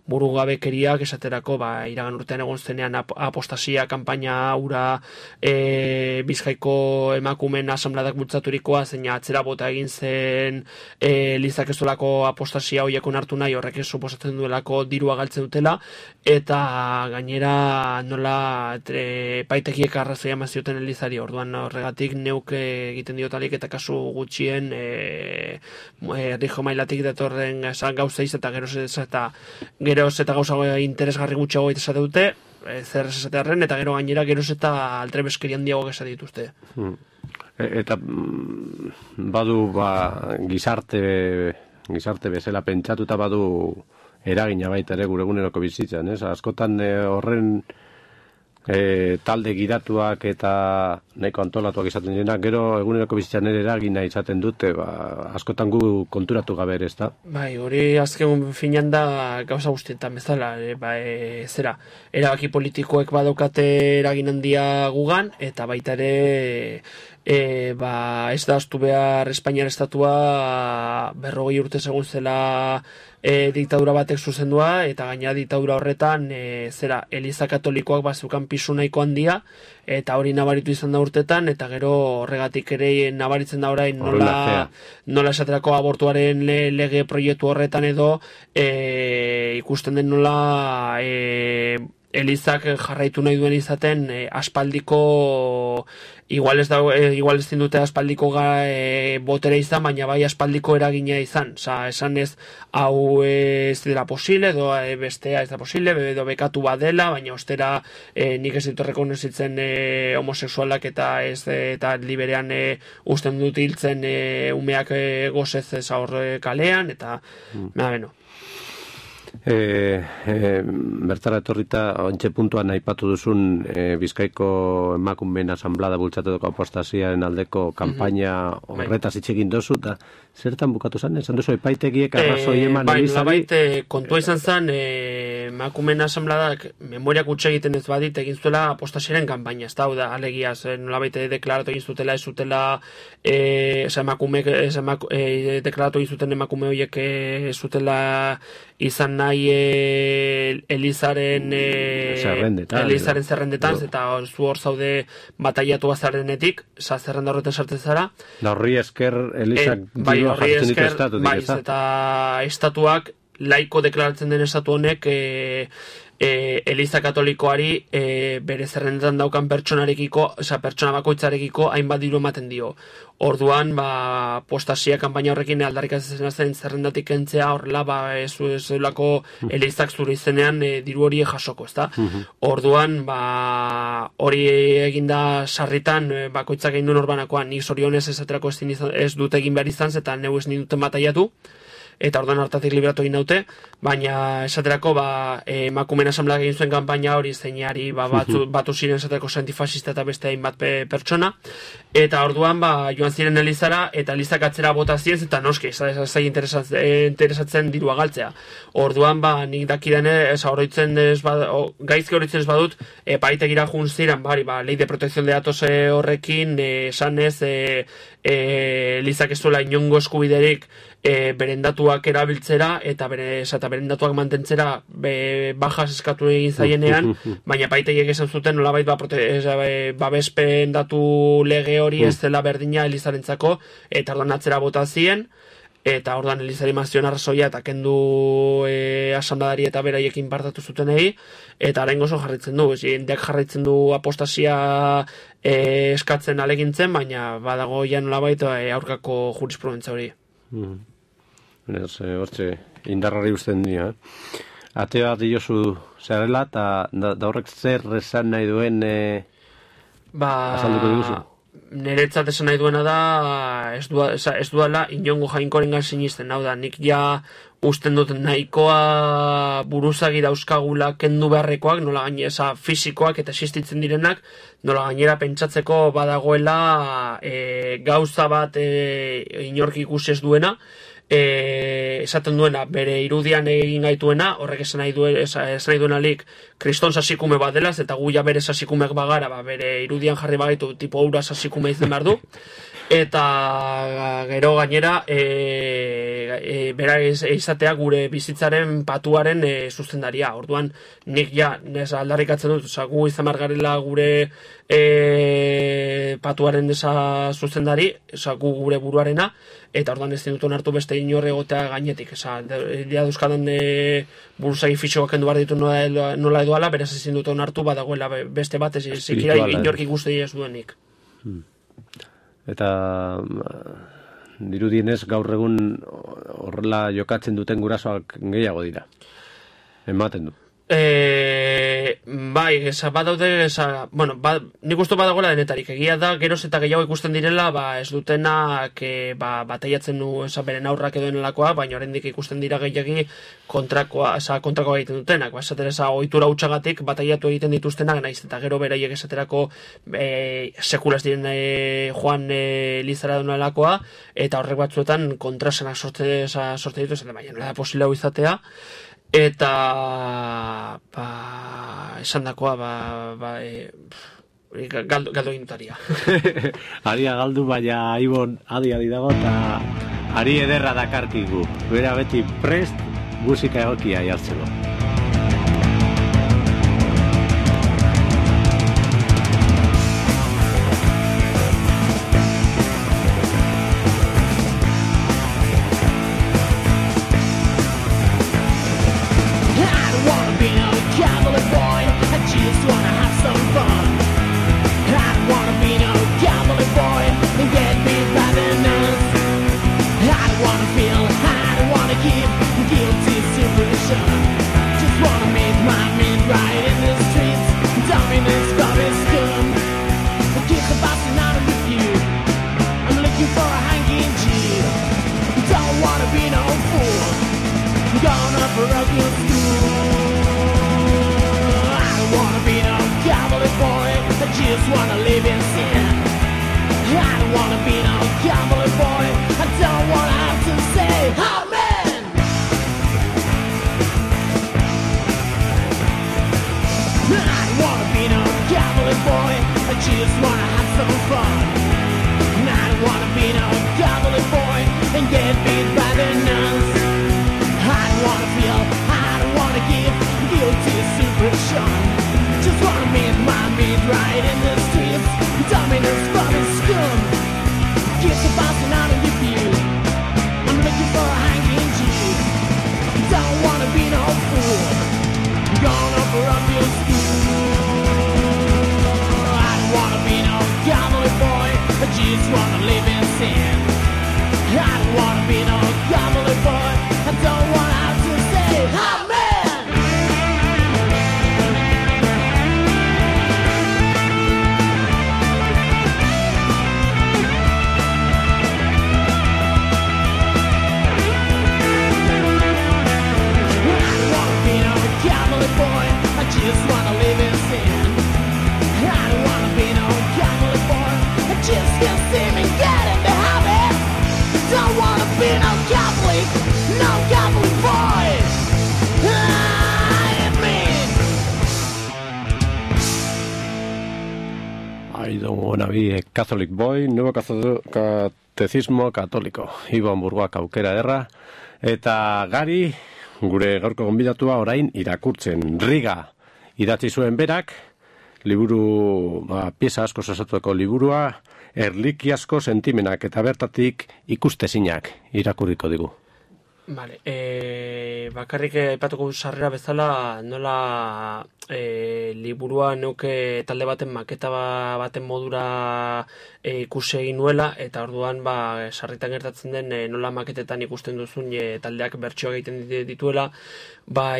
burugabekeriak esaterako iragan urtean egon zenean apostasia kanpaina ura Bizkaiko emakumen asamladak bultzaturikoa, zeina atzera bota egin zen Elizak ez duelako apostasia hoiekon hartu nahi, horrek ez suposatzen duelako dirua galtzen dutela, eta gainera nola paitekiek arrazoia mazioten Elizari, orduan horregatik neuk egiten diotalik eta kasu gutxien errijo mailatik datorren gauza iz eta geroz eta gauza interesgarri gutxiago esate dute, zer esatearren, eta gero gainera geroz eta altrebeskeri handiago esate dituzte. Eta badu gizarte bezala pentsatuta badu eragina baita ere gure eguneroko bizitzan, ez? Askotan horren talde gidatuak eta nahiko antolatuak izaten dira, gero eguneroko bizitzan ere eragina izaten dute, askotan gu konturatu gabe ere, ezta? Hori azken finean da gauza guztietan bezala, erabaki politikoek badaukate eragin handia gugan, eta baita ere ez da astu behar Espainiar estatua 40 urte segun zela diktadura batek zuzendua, eta gaina diktadura horretan Eliza Katolikoak bazukan pisu nahiko handia, eta hori nabaritu izan da urtetan, eta gero horregatik ere nabaritzen da orain nola esaterako abortuaren lege proiektu horretan edo ikusten den nola Elizak jarraitu nahi duen izaten aspaldiko igual ez dute aspaldiko botere izan, baina bai aspaldiko eragina izan. Esan ez hau ez dela posible, edo bestea ez da posible, edo bekatu badela, baina ostera nik ez ditu rekonozitzen homoseksualak eta liberean usten dut hiltzen umeak gozez zaur kalean, eta beno. Bertara etorrita ontxe puntuan aipatu duzun Bizkaiko emakumeen asanblada bultzatutako apostasiaren aldeko kanpaina horretaz hitz egin dozu, eta zertan bukatu zen? Esan duzu epaitegiek arrazoi eman Elizari? Kontua izan zen emakumeen asanbladak memoriak utxe egiten ez badit egin zuela apostasiaren kanpaina, ez da, alegia, nolabait deklaratu egin zutela, ez zutela deklaratu egin zuten emakume horiek ez zutela izan nahi Elizaren zerrendetan, eta zu hor zaude bataiatu azarrenetik, zerrenda horretan sartzen zara. Da horri esker Elizak dirua jartzen ditu estatutik, ez da? Eta estatuak, laiko deklaratzen den estatu honek, Eliza Katolikoari bere zerrendetan daukan pertsona bakoitzarekiko hainbat diru ematen dio. Orduan, apostasia kanpaina horrekin aldarrikatzen zen zerrendatik kentzea, horrela, ez duelako Elizak zure izenean diru hori jasoko, ezta? Orduan, hori eginda sarritan, bakoitzak egin duen orbanakoan, nik zorionez esaterako ez dut egin behar izan, eta neu ez ninduten bataiatu, eta orduan hartatik liberatu egin daute, baina esaterako emakumeen asanbladak egin zuen kanpaina hori zeinari batu ziren esaterako antifasista eta beste hainbat pertsona, eta orduan joan ziren Elizara, eta Elizak atzera bota ziren, eta noski, zai interesatzen dirua galtzea. Orduan, nik dakidan gaizki horitzen ez badut, epaitegira jun ziren, ley de protección de datos horrekin, esan ez, Elizak ez duela inongo eskubiderik beren datuak erabiltzera eta beren datuak mantentzera bajas eskatu egin zaienean, baina paitegiek esan zuten nolabait babespen datu lege hori ez dela berdina Elizarentzako, eta orduan atzera bota zien, eta orduan Elizari mazion arrazoia eta kendu asanbladari eta beraiekin partatu zutenei, eta orain gozo jarraitzen du, jendeak jarraitzen du apostasia eskatzen alegintzen, baina badago ja nolabait aurkako jurisprudentzia hori. Hortxe, indarrari usten dira. Ate bat diozu zerrela, eta da horrek zer esan nahi duen azalduko diguzu? Niretzat esan nahi duena da ez duela inongo jainkorengan sinisten, hau da, nik ja usten dut nahikoa buruzagi dauzkagula kendu beharrekoak, nola gainera fisikoak eta existitzen direnak, nola gainera pentsatzeko badagoela gauza bat inork ikusi ez duena, esaten duena, bere irudian egin gaituena, horrek esan nahi duenalik kriston sasikume bat delaz, eta guia bere sasikumeak bagara, bere irudian jarri bagaitu tipo aura sasikume izan behar du, eta gero gainera bera izatea gure bizitzaren patuaren zuzendaria. Orduan nik ja aldarrikatzen dut, gu izan margarela gure patuaren zuzendari, gu gure buruarena, eta orduan ez dut hartu beste inorre egotea gainetik. Dira duzkadan buruzagi fitxoak kendu behar ditu nola edoala, beraz ezin dut hartu badagoela beste bat zikira inork ikuste ez duenik. Eta dirudienez gaur egun horrela jokatzen duten gurasoak gehiago dira. Ematen du. Bai, badaude, nik uste badagoela denetarik. Egia da, geroz eta gehiago ikusten direla, ez dutenak bataiatzen du beren aurrak edo enelakoa, baina oraindik ikusten dira gehiagi kontrakoa egiten dutenak. Esatera, ohitura hutsagatik bataiatu egiten dituztenak, naiz eta gero beraiek esaterako sekulaz diren joan Elizara denelakoa, eta horrek batzuetan kontrasenak sorte dituzten, baina nola da posible hau izatea. Eta esan dakoa galdu egintutaria. Aria galdu, baina Ibon adi dago, eta ari ederra dakarkigu. Bera beti prest, musika egokia jartzeko. Catholic Boy, Nuevo Catecismo Católico. Ibon Burgoak aukera erra. Eta Gari, gure gaurko gonbidatua orain irakurtzen. Riga idatzi zuen berak, liburu, pieza asko osatuko liburua, erlikiasko sentimenak eta bertatik ikustezinak irakurriko digu. Vale, bakarrik aipatuko sarrera bezala nola liburua neuke talde baten maketa baten modura ikusi egin nuela, eta orduan sarritan gertatzen den nola maketetan ikusten duzun taldeak bertsioa egiten dituela,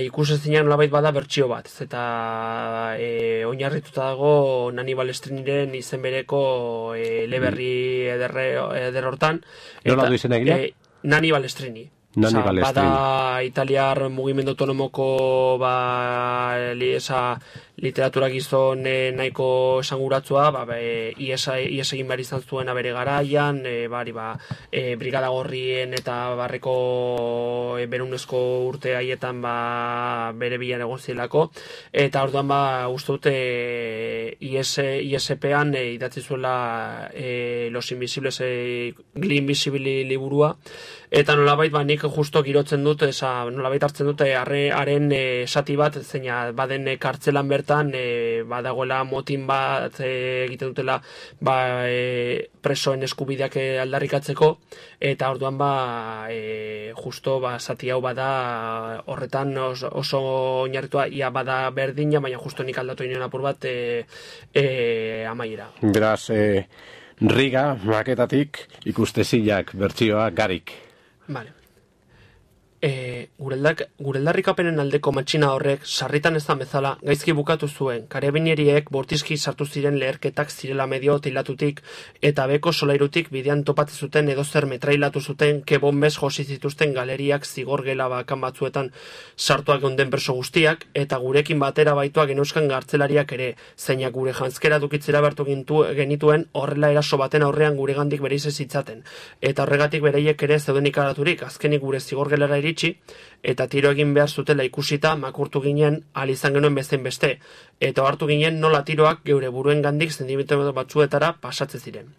ikusezinak nolabait bada bertsio bat, eta oinarrituta dago Nani Balestriniren izen bereko eleberri eder hortan. Nola du izena eginak? Nani Balestrini. Bada italiar mugimendu autonomoko literatura gizon nahiko esanguratzua, ies egin behar izan zuen bere garaian, brigada gorrien eta barreko berunezko urte haietan bere bilan egon zilako, eta orduan uste dute ISP-an idatzi zuela Los Invisibles Gli Invisibili liburua, eta nolabait nik justo girotzen dut, nolabait hartzen dute haren esati bat, zeina baden kartzelan bertan, badagoela motin bat egiten dutela presoen eskubideak aldarrikatzeko, eta orduan justo zati hau bada horretan oso oinarritua, ia bada berdina, baina justo nik aldatu inoen apur bat amaiera. Beraz, Riga, maketatik, ikustezinak bertsioa Garik. Vale. Gureldarrikapenen aldeko matxina horrek sarritan ez da bezala gaizki bukatu zuen. Karabineriek bortizki sartu ziren leherketak zirela medio tilatutik eta beko solairutik bidean topatzen zuten edozer metrailatu zuten kebonbez josi zituzten galeriak zigorgela bakan batzuetan sartuak onden perso guztiak, eta gurekin batera baituak geneuzkan gartzelariak ere, zeinak gure jantzkera dukitzera behartu genituen horrela eraso baten aurrean guregandik bereize zitzaten. Eta horregatik bereiek ere zeuden ikaraturik, azkenik gure zigorgelara iritsi, eta tiro egin behar zutela ikusita makurtu ginen izan genuen bezain beste, eta hartu ginen nola tiroak geure buruen gandik zentimetro batzuetara pasatzen ziren.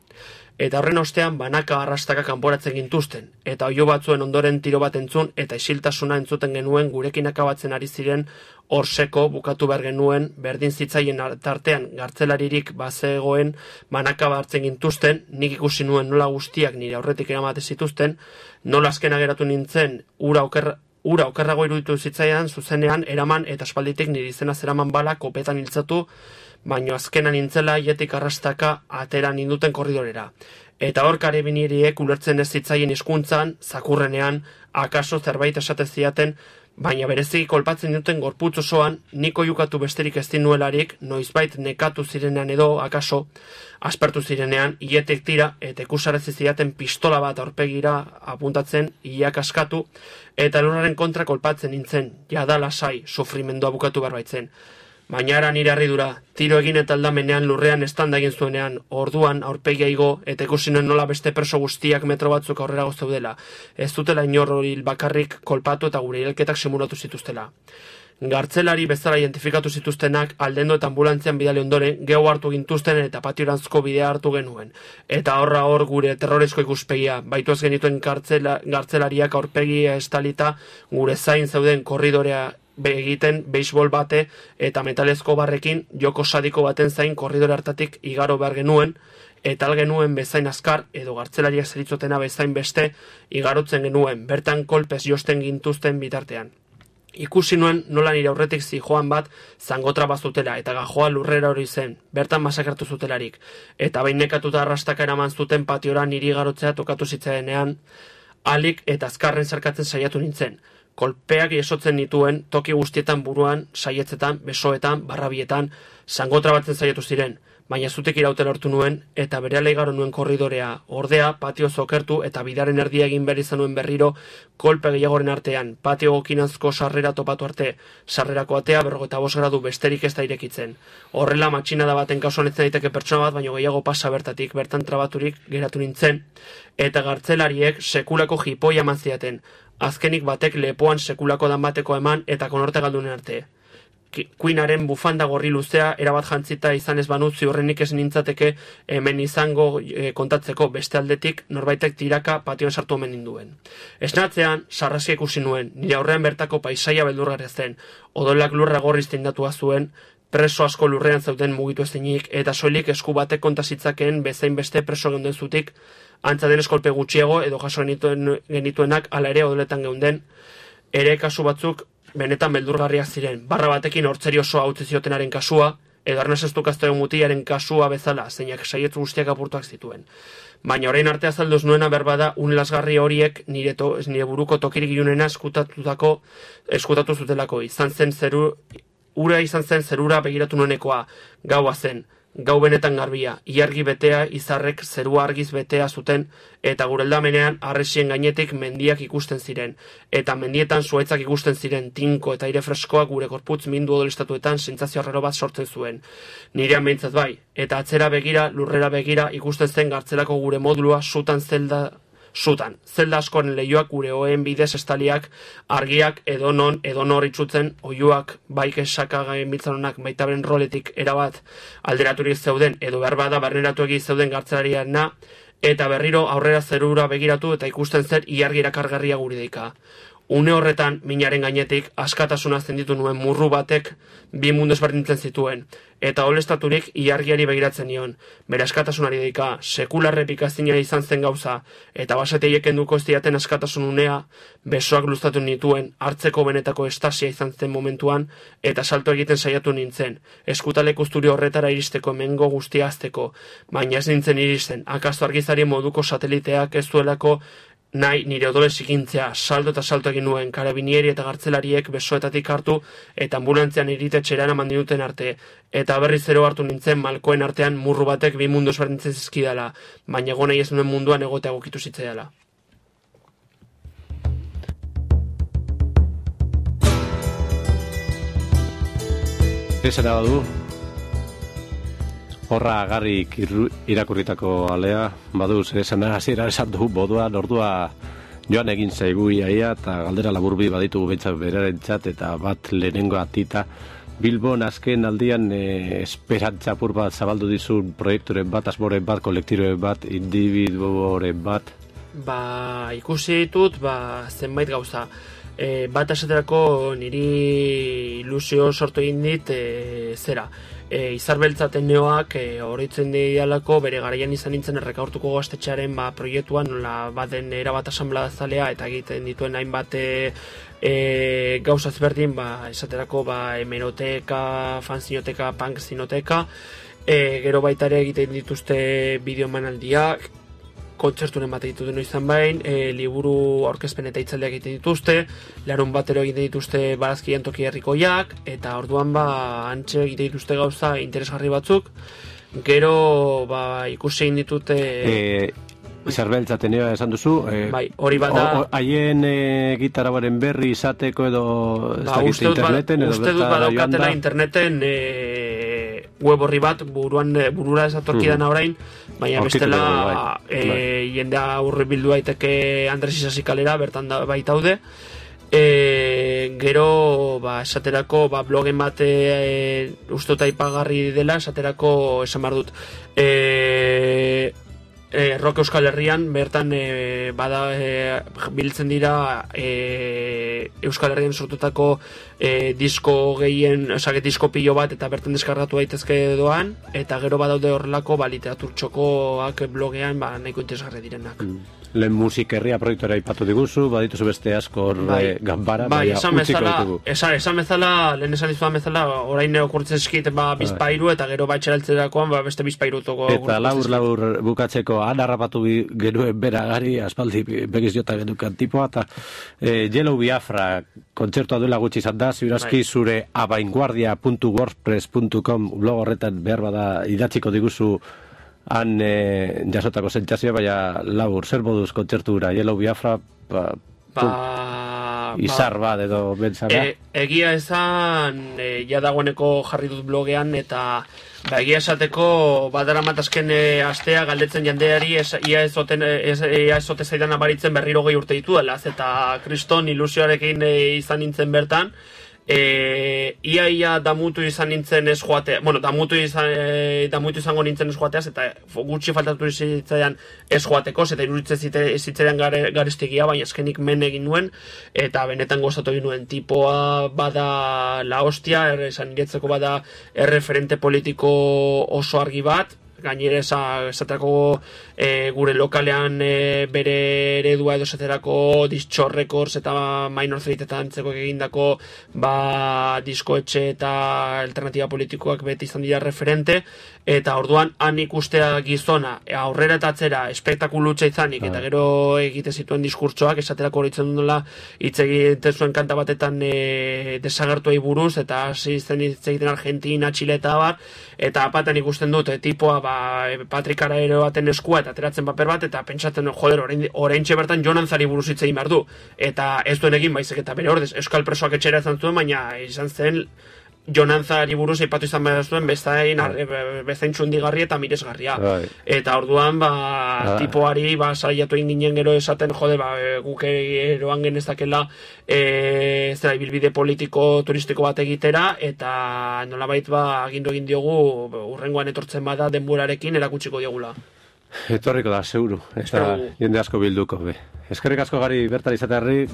Eta horren ostean banaka arrastaka kanporatzen gintuzten, eta oio batzuen ondoren tiro bat entzun, eta isiltasuna entzuten genuen gurekin akabatzen ari ziren orseko bukatu behar genuen, berdin zitzaien tartean gartzelaririk bazegoen banaka hartzen gintuzten, nik ikusi nuen nola guztiak nire aurretik eramate zituzten, nola azkena geratu nintzen ura okerrago iruditu zitzaidan zuzenean eraman eta aspalditik nire izena zeraman bala kopetan hiltzatu, baino azkena nintzela hietik arrastaka atera ninduten korridorera. Eta hor karabineriek ulertzen ez zitzaien hizkuntzan, zakurrenean, akaso zerbait esaten ziaten, baina bereziki kolpatzen duten gorputz osoan, niko jukatu besterik ez dinuelarik, noizbait nekatu zirenean edo, akaso, aspertu zirenean, hietik tira, eta ikusarazi ziaten pistola bat aurpegira apuntatzen, iak askatu, eta lurraren kontra kolpatzen nintzen, jada lasai, sufrimendua bukatu barbaitzen. Baina ara nire harridura, tiro egin eta aldamenean lurrean estanda egin zuenean, orduan aurpegia igo eta ikusi nuen nola beste perso guztiak metro batzuk aurrera zeudela. Ez dutela inor hil bakarrik kolpatu eta gure hilketak simulatu zituztela. Gartzelari bezala identifikatu zituztenak aldendo eta ambulantzian bidali ondoren gehu hartu gintuzten eta patiorantzko bidea hartu genuen. Eta horra hor gure terrorezko ikuspegia, baitu ez genituen gartzelariak aurpegia estalita gure zain zeuden korridorea egiten beisbol bate eta metalezko barrekin joko sadiko baten zain korridore hartatik igaro behar genuen, eta algenuen bezain azkar edo gartzelariak zeritzotena bezain beste igarotzen genuen, bertan kolpez josten gintuzten bitartean. Ikusi nuen nola nire aurretik zijoan bat zangotra bazutela eta gajoa lurrera hori zen, bertan masakratu zutelarik, eta behin nekatuta arrastaka eraman zuten patiora niri garotzea tokatu zitzaenean, alik eta azkarren zarkatzen saiatu nintzen. Kolpeak esotzen nituen toki guztietan buruan, saietzetan, besoetan, barrabietan, zangotra batzen saiatu ziren, baina zutik irauten lortu nuen eta berehala igaro nuen korridorea, ordea patio zokertu eta bidaren erdia egin behar izan nuen berriro kolpe gehiagoren artean, patio gokinazko sarrera topatu arte, sarrerako atea 45 gradu besterik ez da irekitzen. Horrela matxinada baten kasuan ez daiteke pertsona bat, baino gehiago pasa bertatik, bertan trabaturik geratu nintzen, eta gartzelariek sekulako jipoia eman ziaten, azkenik batek lepoan sekulako dan bateko eman eta konorte galdunen arte. Queenaren bufanda gorri luzea erabat jantzita izan ez banu ziurrenik ez nintzateke hemen izango kontatzeko, beste aldetik norbaitek tiraka patioan sartu omen ninduen. Esnatzean, sarrasia ikusi nuen, nire aurrean bertako paisaia beldurgarria zen, odolak lurra gorriz tindatua zuen, preso asko lurrean zeuden mugitu ezinik, eta soilik esku batek kontasitzakeen bezain beste preso geunden zutik, antza denez kolpe gutxiago edo jaso genituenak ala ere odoletan geunden, ere kasu batzuk benetan beldurgarriak ziren, barra batekin hortzeri osoa utzi ziotenaren kasua, edo arnasestu kasteo mutiaren kasua bezala, zeinak saietz guztiak apurtuak zituen. Baina orain arte azalduz nuena berbada unlasgarri horiek nire buruko tokirik ilunena eskutatu zutelako, ura izan zen zerura begiratu nuenekoa, gaua zen, gau benetan garbia, iargi betea izarrek zerua argiz betea zuten, eta gure aldamenean arresien gainetik mendiak ikusten ziren, eta mendietan zuaitzak ikusten ziren, tinko eta aire freskoak gure korputz mindu odolestatuetan sentsazio arraro bat sortzen zuen. Nirean behintzat bai, eta atzera begira, lurrera begira ikusten zen gartzelako gure modulua zelda askoren lehioak gure oen bidez estaliak, argiak edonor itxutzen, oiuak baik esakagaen biltzanonak baita beren roletik erabat alderaturik zeuden, edo behar bada barneratu egi zeuden gartzelariana, eta berriro aurrera zerura begiratu eta ikusten zer iargi erakargarria guri deika. Une horretan, minaren gainetik, askatasuna zenditu nuen murru batek bi mundu ezberdintzen zituen, eta olestaturik iargiari begiratzen nion, bere askatasunari deika, sekularrepikazina izan zen gauza, eta basateiek enduko ez diaten askatasun unea, besoak luztatu nituen, hartzeko benetako estasia izan zen momentuan, eta salto egiten saiatu nintzen, eskutalek usturi horretara iristeko hemengo guztia azteko, baina ez nintzen iristen, akaso argizari moduko sateliteak ez duelako nahi nire odole zikintzea, salto eta salto egin nuen, karabinieri eta gartzelariek besoetatik hartu eta ambulantzian iritetxeran eman dinuten arte, eta berri zero hartu nintzen malkoen artean murru batek bi mundu ezberdintzen zizkidala, baina egon nahi ez nuen munduan egotea egokitu zitzaidala. Esera badu, horra agarrik irakurritako alea, badu, zer esana hasiera esan du, bodua, ordua joan egin zaigu iaia, eta galdera laburbi baditugu behintzat berarentzat, eta bat lehenengo atita. Bilbon azken aldian esperantza apur bat zabaldu dizun proiekturen bat, asmoren bat, kolektiroren bat, individuoren bat? Ikusi ditut, zenbait gauza. Bat esaterako niri ilusio sortu egin dit zera. Izarbeltza Ateneoak oroitzen dialako bere garaian izan nintzen Errekaurtuko gaztetxearen proiektuan, nola baden erabat asanbladazalea eta egiten dituen hainbat gauza ezberdin, esaterako hemeroteka, fanzinoteka, punkzinoteka, gero baita ere egiten dituzte bideomanaldiak, kontzerturen bat egiten duen izan bain, liburu aurkezpen eta hitzaldiak egiten dituzte, larun batero egiten dituzte barazkien toki herrikoiak, eta orduan antxe egiten dituzte gauza interesgarri batzuk, gero ikusi egin ditute... Izarbeltza Atenea esan duzu, hori bada... Haien gitarabaren berri izateko edo interneten? Uste dut badaukatela interneten web horri bat, burura esatorkidan orain, baina bestela jendea aurre bildu daiteke Andres Isasi kalera, bertan baitaude. Gero, esaterako, blogen bat uste dut aipagarri dela, esaterako esan behar dut. Rock Euskal Herrian, bertan biltzen dira Euskal Herrian sortutako disko gehien, disko pilo bat eta bertan deskargatu daitezke doan, eta gero badaude horrelako literatur txokoak blogean nahiko interesgarri direnak. Lehen musikerria proiektuara ipatu diguzu, badituzu beste asko ganbara, esan bezala, lehen esan dizuan bezala, orain okurtzen eskit bizpairu, eta gero batxeraltzerakoan beste bizpairu toko. Eta laur bukatzeko anarrapatu genuen beragari, aspaldi begiz jota genukan tipoa, eta Yellow Biafra kontzertua duela gutxi izan da, ziurazki zure avainguardia.wordpress.com blog horretan behar bada idatziko diguzu han jasotako sentsazioa, baina labur, zer moduz kontzertura, Yellow Biafra, izar bat edo bentsara? Egia esan, ja dagoeneko jarri dut blogean, eta egia esateko badara matazken astea galdetzen jandeari ia ezote zaidan abaritzen berriro 20 urte ditu dela, eta kriston ilusioarekin izan nintzen bertan, ia damutu izan nintzen ez joatea, damutu izango nintzen ez joateaz, eta gutxi faltatu zitzaidan ez joateko, eta iruditzen zitzaidan garestigia, baina eskenik men egin nuen, eta benetan gozatu egin nuen. Tipoa bada la hostia, esan niretzeko bada erreferente politiko oso argi bat, gainera esaterako gure lokalean bere eredua edo esaterako Distxo Records eta Minor Threat eta antzeko egindako diskoetxe eta alternatiba politikoak beti izan dira referente, eta orduan han ikustea gizona aurrera eta atzera espektakulutza izanik, eta gero egite zituen diskurtsoak, esaterako horitzen duela hitz egiten zuen kanta batetan desagertuei buruz, eta hasi zen hitz egiten Argentina, Txile eta bar, eta apaten ikusten dut, tipoa Patrik Araero baten eskua eta ateratzen paper bat, eta pentsatzen, joder, oraintxe bertan Jonan Zari buruz hitz egin behar du, eta ez duen egin baizik, eta bere ordez, euskal presoak etxera izan zuen, baina izan zen Jonan Zari buruz eipatu izan behar zuen bezain txundigarri eta miresgarria. Eta orduan, tipoari saiatu egin ginen gero esaten, jode, guk eroan genezakela bilbide politiko turistiko bat egitera, eta nolabait agindu egin diogu urrengoan etortzen bada denborarekin erakutsiko diogula. Etorriko da, seguru, eta jende asko bilduko. Eskerrik asko Gari bertan izatearri,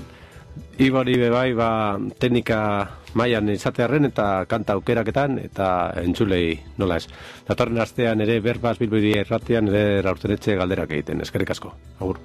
Ibori bebai teknika mailan izatearren eta kanta aukeraketan eta entzulei nola ez. Datorren astean ere Berbaz Bilbao Irratian ere Raurtenetxe galderak egiten. Eskerrik asko. Agur.